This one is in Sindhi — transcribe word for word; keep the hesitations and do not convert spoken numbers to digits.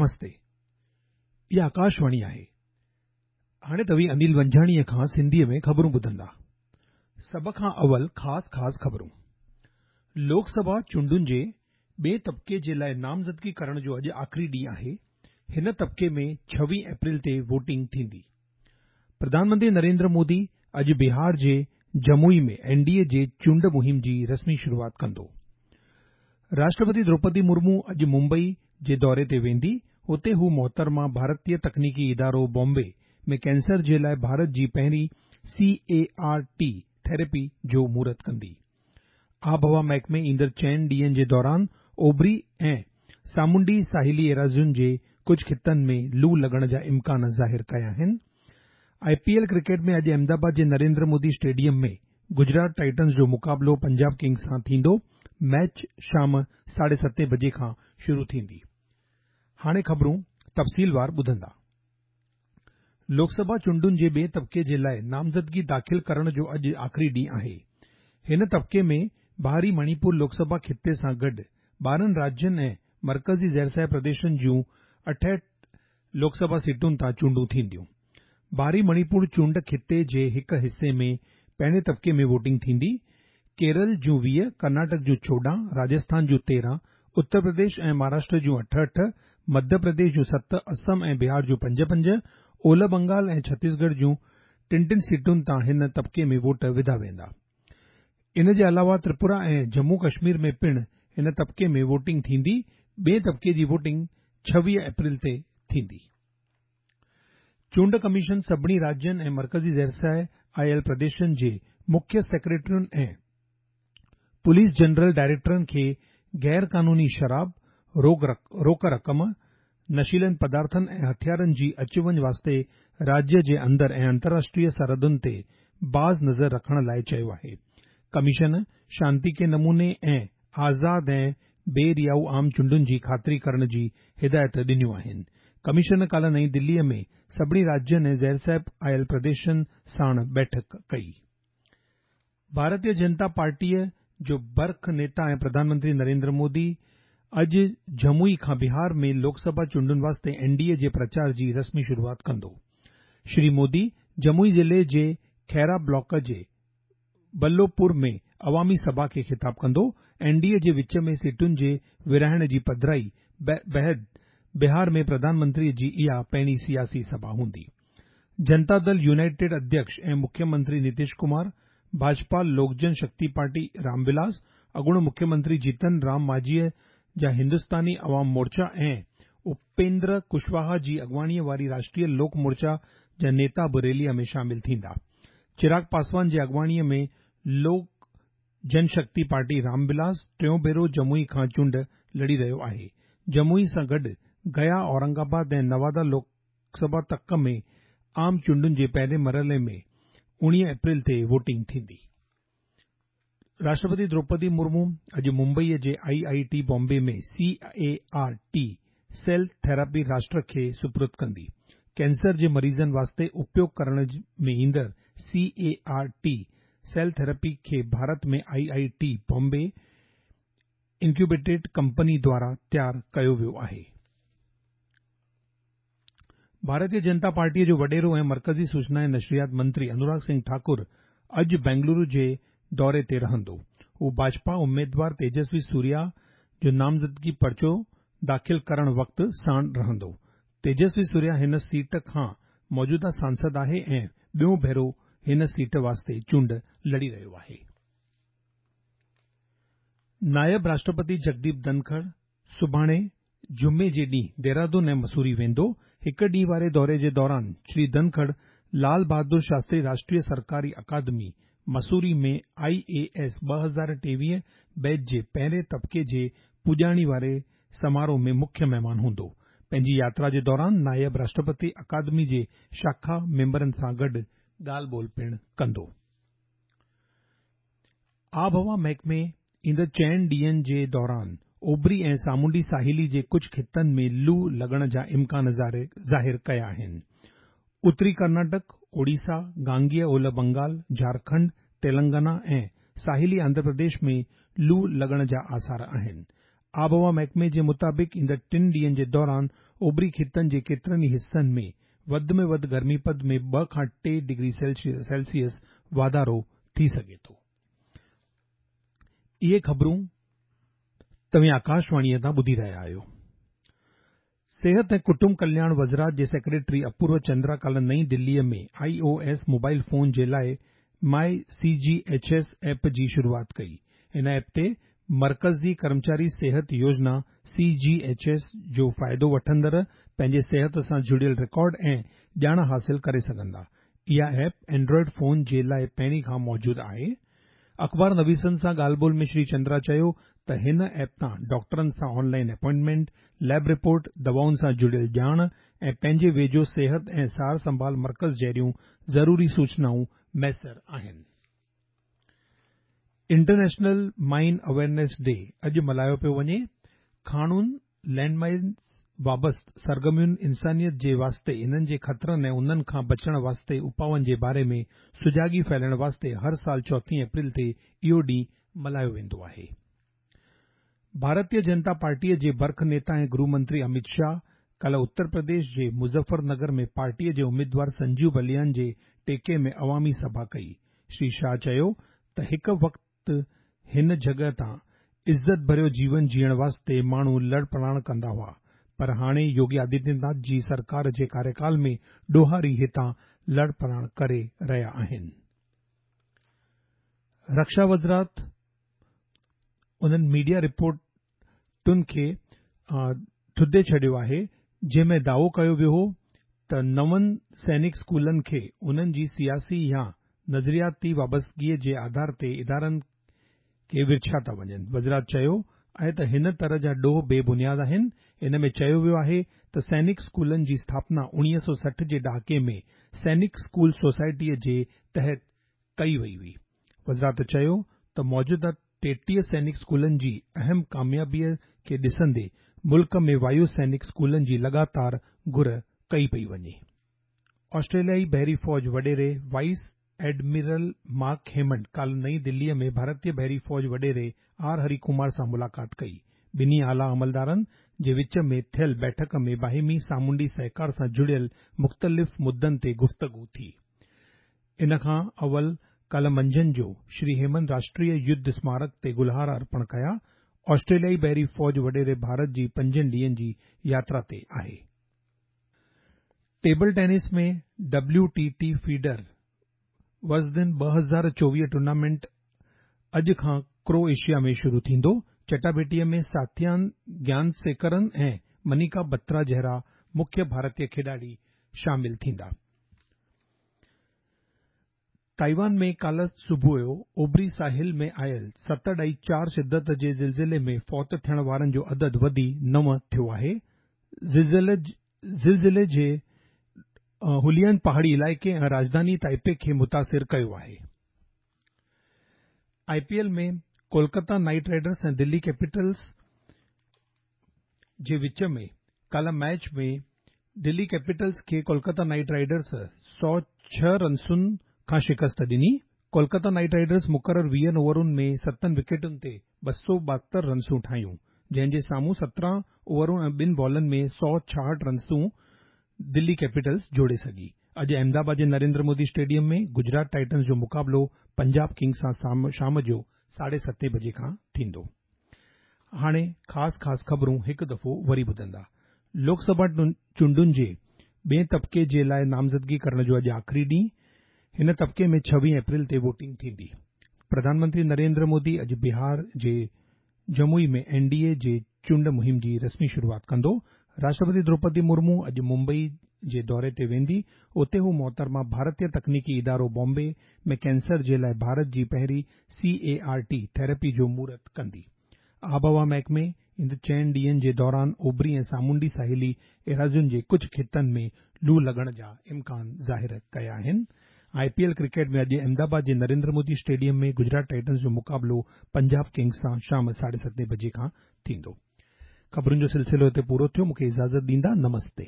نمستي، اها آڪاشواڻي آهي. هاڻي توهين انيل ونجهاڻيء کان سنڌيء ۾ خبرون ٻڌندا. سڀ کان اول خاص خاص خبرون. لوڪ سڀا چونڊن جي ٻئي طبقي جي لاءِ نامزدگي ڪرڻ جو اڄ آخري ڏينهن آهي. هن طبقي ۾ ڇويهه اپريل تي ووٽنگ ٿيندي. پرڌان منتري نريندر مودي اڄ بهار جي جموئي ۾ اين ڊي اي جي چونڊ مهم جي رسمي شروعات ڪندو. راشٽرپتي دروپدي مرمو اڄ ممبئي جي دوري تي ويندي. اتي هو محترمه ڀارتيه تڪنيڪي ادارو بامبي ۾ ڪينسر جي لاءِ ڀارت جي پهرين سي اي آر ٽي ٿيراپي جو مهورت ڪندي. آبهوا محڪمي ايندڙ چئن ڏينهن جي دوران اوڀري ۽ سامونڊي ساحلي ايراضين جي ڪجهه خطن ۾ لو لڳڻ جا امڪان ظاهر ڪيا آهن. آء پي ايل ڪرڪيٽ ۾ اڄ احمدآباد جي نريندر مودي اسٽيڊيم ۾ گجرات ٽائٽنز جو مقابلو پنجاب ڪنگز سان ٿيندو. ميچ شام ساڍي ستين بجي کان شروع ٿيندي. هاڻي خبرون تفصيلوار ٻڌندا. لوڪ سڀا چونڊن جي ٻئي طبقي جي لاءِ نامزدگي داخل ڪرڻ جو اڄ آخري ڏينهن آهي. هن طبقي ۾ ٻاهري مڻيپور لوڪ سڀا خطي سان گڏ ٻارهن راجين ۽ مرڪزي زيرسايه پرديشن جون اٺهٺ لوڪ سڀا سيٽن تان چونڊون ٿينديون. ٻاهري مڻيپور چونڊ خطي جي هڪ حصي ۾ پهرين طبقي ۾ ووٽنگ ٿيندي. ڪيرل جون ويهه، ڪرناٽڪ جون چوڏهن، راجسٿان جون تيرهن، اتر پرديش ۽ مهاراشٽر جون اٺ اٺ، مڌيه پرديش جون ست، اسم ۽ بهار جون پنج پنج، اولهه بنگال ۽ ڇتيسڳڙهه جون ٽن ٽن سيٽن تان هن طبقي ۾ ووٽ وڌا ويندا. ان جي علاوه تريپورا ۽ ڄمون ڪشمير ۾ پڻ هن طبقي ۾ ووٽنگ ٿيندي. ٻئي طبقي جي ووٽنگ ڇويهه اپريل تي ٿيندي. چونڊ ڪميشن سڀني راجين ۽ مرڪزي زيرسايه آيل پرديشن جي مکيه سيڪريٽرين ۽ پوليس جنرل ڊائريڪٽرن کي غير قانوني شراب، روڪ رقم، نشيلن پدارٿن ۽ هٿيارن جي اچ وڃ واسطي راجيه جي اندر ۽ انترراشٽريه سرحدن تي باز نظر رکڻ لاءِ چيو آهي. ڪميشن شانتيڪي نموني ۽ آزاد ۽ بي ريائو عام چونڊن جي خاطري ڪرڻ جي هدايت ڏنيون آهن. ڪميشن ڪالهه نئين دليءَ ۾ سڀني راجين ۽ زيرصاحب آيل پرديشن ساڻ بيٺڪ ڪئي. ڀارتيه جنتا پارٽيءَ جو برک نيتا ۽ پرڌان منتري نريندر مودي اڄ جموئي کان بهار ۾ لوڪ سڀا چونڊن واسطي اين ڊي اي جي پرچار جي رسمي شروعات ڪندو. شري مودي جموئي ضلعي جي کيرا بلاڪ جي بلوپور ۾ عوامي سڀا کي خطاب ڪندو. اين ڊي اي جي وچ ۾ سيٽن جي ورهائڻ جي پڌرائي بعد بهار ۾ پرڌان منتري جي اها پهرين سياسي سڀا هوندي. جنتا دل يونائيٽيڊ اڌيڪش ۽ مکيه منتري نتيش ڪمار، ڀاجپا لوڪ جن شڪتي پارٽي رام ولاس، اڳوڻو مکيه منتري جيتن رام مانجهيءَ جا هندستاني عوام مورچا ۽ اپيندر ڪشواها جي اڳواڻيءَ واري راشٽريه لوڪ مورچا جا نيتا به ريليءَ ۾ شامل ٿيندا. چراغ پاسوان جي اڳواڻيءَ ۾ لوڪ جن شڪتي پارٽي رام ولاس ٽيون ڀيرو جموئي کان چونڊ لڙي رهيو آهي. جموئي سان گڏ گيا، اورنگ آباد ۽ نوادا لوڪ سڀا تڪ ۾ عام چونڊن جي پهرين مرحلي ۾ اڻويهه اپريل تي ووٽنگ ٿيندي. راشٽرپتي دروپدي مرمو اڄ ممبئيءَ جي آئي I T Bombay ۾ C A R T cell therapy راشٽر کي سپرد ڪندي. ڪينسر جي مريضن واسطي اپيوگ ڪرڻ ۾ ايندڙ C A R T cell therapy کي Bharat ۾ I I T Bombay incubated company دواران تيار ڪيو ويو آهي. ڀارتيه جنتا پارٽيءَ جو وڏيرو ۽ مرڪزي سوچنا ۽ نشريات منتري انوراگ سنگهه ٺاڪر اڄ بينگلورو جي دوري تي رهندو. هو ڀاجپا اميدوار تيجسوي سوريا جو نامزدگي پرچو داخل ڪرڻ وقت ساڻ رهندو. تيجسوي سوريا هن سيٽ کان موجوده سانسد آهي ۽ ٻيون ڀيرو هن سيٽ واسطي چونڊ لڙي رهيو آهي. نائب راشٽرپتي جگديپ ڌنکڙ سڀاڻي جمعي جي ڏينهن ديهرادون ۽ مسوري ويندو. هڪ ڏينهن واري دوري جي دوران شري ڌنکڙ لال بهادر شاستري راشٽريه سرڪاري اڪادمي مسوري ۾ آئي اي ايس ٻه هزار ٽيويهه بيچ جي پهرين طبقي جي پڄاڻي واري سماروهه ۾ مکيه مهمان هوندو. پنهنجي ياترا جي دوران نائب راشٽرپتي اڪادمي جي شاخا ميمبرن سان گڏ ڳالهه ٻولهه پڻ ڪندو. آبهوا محڪمي ايندڙ چئن ڏينهن جي دوران اوڀري ۽ سامونڊي ساحلي جي ڪجهه خطن ۾ لو لڳڻ جا امڪان ظاهر ڪيا آهن. اتري ڪرناٽڪ، اوڙيسا، گانگيه اولهه بنگال، جهارکنڊ، تيلنگانا ۽ ساحلي آنڌرا پرديش ۾ لو لڳڻ جا آثار آهن. آبهوا محڪمي جي مطابق ايندڙ ٽن ڏينهن جي دوران اوڀري خطن جي ڪيترن ئي حصن ۾ وڌ ۾ وڌ گرمي پد ۾ ٻه کان ٽي ڊگري سيلسيس واڌارو ٿي سگهي ٿو. اهي خبرون توهين آڪاشواڻيء تان ٻڌي رهيا آهيو. صحت ۽ ڪٽنب ڪلياڻ وزارت جي سيڪريٽري اپورو چندرا ڪالهه نئين دليء ۾ I O S mobile phone جي لاء my C G H S app جي شروعات ڪئي. ان ايپ تي مرڪزي ڪرمچاري صحت يوجنا سي جي ايڇ ايس جو فائدو وٺندڙ پنهنجي صحت سان جڙيل رڪارڊ ۽ ڄاڻ حاصل ڪري سگهندا. اها ايپ اينڊرائيڊ فون جي لاء پهرين کان موجود آهي. اخبار نويسن سان ڳالهه ٻولهه ۾ شري چندرا چيو ته هن ايپ تان ڊاڪٽرن سان on line appointment, lab report, دوائن سان جڙيل ڄاڻ ۽ پنهنجي ويجهو صحت ۽ سار سنڀال مرڪز جهڙيون ضروري سوچنائون ميسر آهن. انٽرنيشنل مائن اويئرنيس ڊي اڄ ملهايو پيو وڃي. کاڻن، لينڊ مائنز وابسته سرگرمين انسانيت جي واسطي انهن جي خطرن ۽ انهن کان بچڻ واسطي اپائن جي باري ۾ سجاڳي ڦهلائڻ واسطي هر سال چوٿين اپريل تي اهو ڏينهن ملهايو ويندو آهي. ڀارتيه جنتا پارٽيء جي برک نيتا ۽ گرهه منتري امت شاهه ڪالهه اتر پرديش جي مظفر نگر ۾ پارٽيء جي اميدوار سنجيو بليان جي ٽيڪي ۾ عوامي سڀا ڪئي. شري شاهه چيو ته هڪ وقت هن جڳهه تان عزت ڀريو جيون جيئڻ واسطي ماڻهو لڙپلاڻ ڪندا هئا، پر هاڻي يوگي آدتيه ناٿ جي سرڪار جي ڪاريڪال ۾ ڏوهاري هتان لڙپلاڻ ڪري رهيا آهن. رڪشا وزارت انهن ميڊيا رپورٽن کي ٿڌي ڇڏيو آهي، جنهن ۾ دعوو ڪيو ويو هو ته نون سينڪ اسڪولن کي انهن جي سياسي يا نظرياتي وابستگيء جي آڌار تي ادارن کي ورڇيا ٿا وڃن. وزارت چيو آهي ته هن طرح جا ڏوهه بي بنياد آهن. ان ۾ چيو ويو آهي ته سينڪ اسڪولن جي اسٿاپنا اڻويهه سؤ سٺ جي ڏهاڪي ۾ سينڪ اسڪول سوسائٽيء جي تحت ڪئي وئي هئي. وزارت چيو ته موجوده ٽيٽيهه سينڪ اسڪولن جي اهم ڪاميابيء کي ڏسندي ملڪ ۾ وايو سينڪ اسڪولن جي لڳاتار گهر ڪئي پئي وڃي. آسٽريليائي بحري فوج وڏيري وائيس ايڊمرل مارڪ هيمنڊ ڪالهه نئين دليء ۾ ڀارتيه بحري فوج وڏيري آر هري ڪمار سان ملاقات ڪئي. ٻنهي اعليٰ عملدارن جي وچ ۾ ٿيل بيٺڪ ۾ باهمي سامونڊي سهڪار سان جڙيل مختلف مدن تي گفتگو ٿي. ان کان اول ڪالهه منجهند جو شري هيمند راشٽريه يڌ سمارڪ تي گلهار ارپڻ ڪيا. آسٽريليائي بحري فوج وڏيري ڀارت جي پنجن ڏينهن جي ياترا تي آهي. Table tennis ۾ W T T FIDE Vojvodina ٻه هزار چوويهه ٽورنامينٽ اڄ کان ڪروايشيا ۾ شروع ٿيندو. چٽاڀيٽيء ۾ ساٿيان گيانسيڪرن ۽ منيڪا بترا جهڙا مکيه ڀارتيه کيڏاڙي شامل ٿيندا. تائيوان ۾ ڪالهه صبح جو اوڀري ساحل ۾ آيل ست ڏهائي چار شدت جي زلزلي ۾ فوت ٿيڻ وارن جو عدد وڌي نو ٿيو آهي. زلزلي جي هوليان پهاڙي علائقي ۽ راڄڌاني تائپي کي متاثر ڪيو آهي. I P L ۾ Kolkata Knight Riders ۽ Delhi Capitals جي وچ ۾ ڪالهه ميچ ۾ دلي ڪيپيٽلز کي ڪولڪتا نائيٽ رائيڊرز سؤ ڇهه رنسن کان شڪست ڏني. ڪولڪتا نائيٽ رائيڊرز مقرر ويهن اوورن ۾ ستن وڪيٽن تي ٻه سؤ ٻاهتر رنسون ٺاهيون، جنهن جي سامهون سترهن اوورن ۽ ٻن بالن ۾ سؤ ڇاهٺ رنسون دلي ڪيپيٽلز جوڙي سگهي. اڄ احمدآباد جي نريندر مودي اسٽيڊيم ۾ گجرات ٽائٽنز جو مقابلو پنجاب ڪنگز سان شام جو ساڍي ستين بجي کان ٿيندو. هاڻي خاص خاص خبرون هڪ دفعو وري ٻڌندا. لوڪ سڀا چونڊن جي ٻئين طبقي جي لاء نامزدگي ڪرڻ جو اڄ آخري ڏينهن. هن طبقي ۾ ڇويهه اپريل تي ووٽنگ ٿيندي. پرڌان منتري نريندر مودي اڄ بهار جي جموئي ۾ اين ڊي اي جي چونڊ مهم جي رسمي شروعات ڪندو. راشٽرپتي دروپدي مرمو اڄ ممبئي جي دوري تي ويندي. اتي هو محترمه ڀارتيه تڪنيڪي ادارو بامبي ۾ ڪينسر جي لاءِ ڀارت جي پهرين سي اي آر ٽي ٿيراپي جو مهورت ڪندي. آبهوا محڪمي ايندڙ چئن ڏينهن جي دوران اوڀري ۽ سامونڊي ساحلي ايراضين جي ڪجهه خطن ۾ لو لڳڻ جا امڪان ظاهر ڪيا آهن. I P L cricket ۾ اڄ احمدآباد جي نريندر مودي اسٽيڊيم ۾ گجرات ٽائٽنز جو مقابلو پنجاب ڪنگز سان شام ساڍي ستين بجي کان ٿيندو. خبرن جو سلسلو هتي پورو ٿيو. مون کي اجازت ڏيندا. نمستي.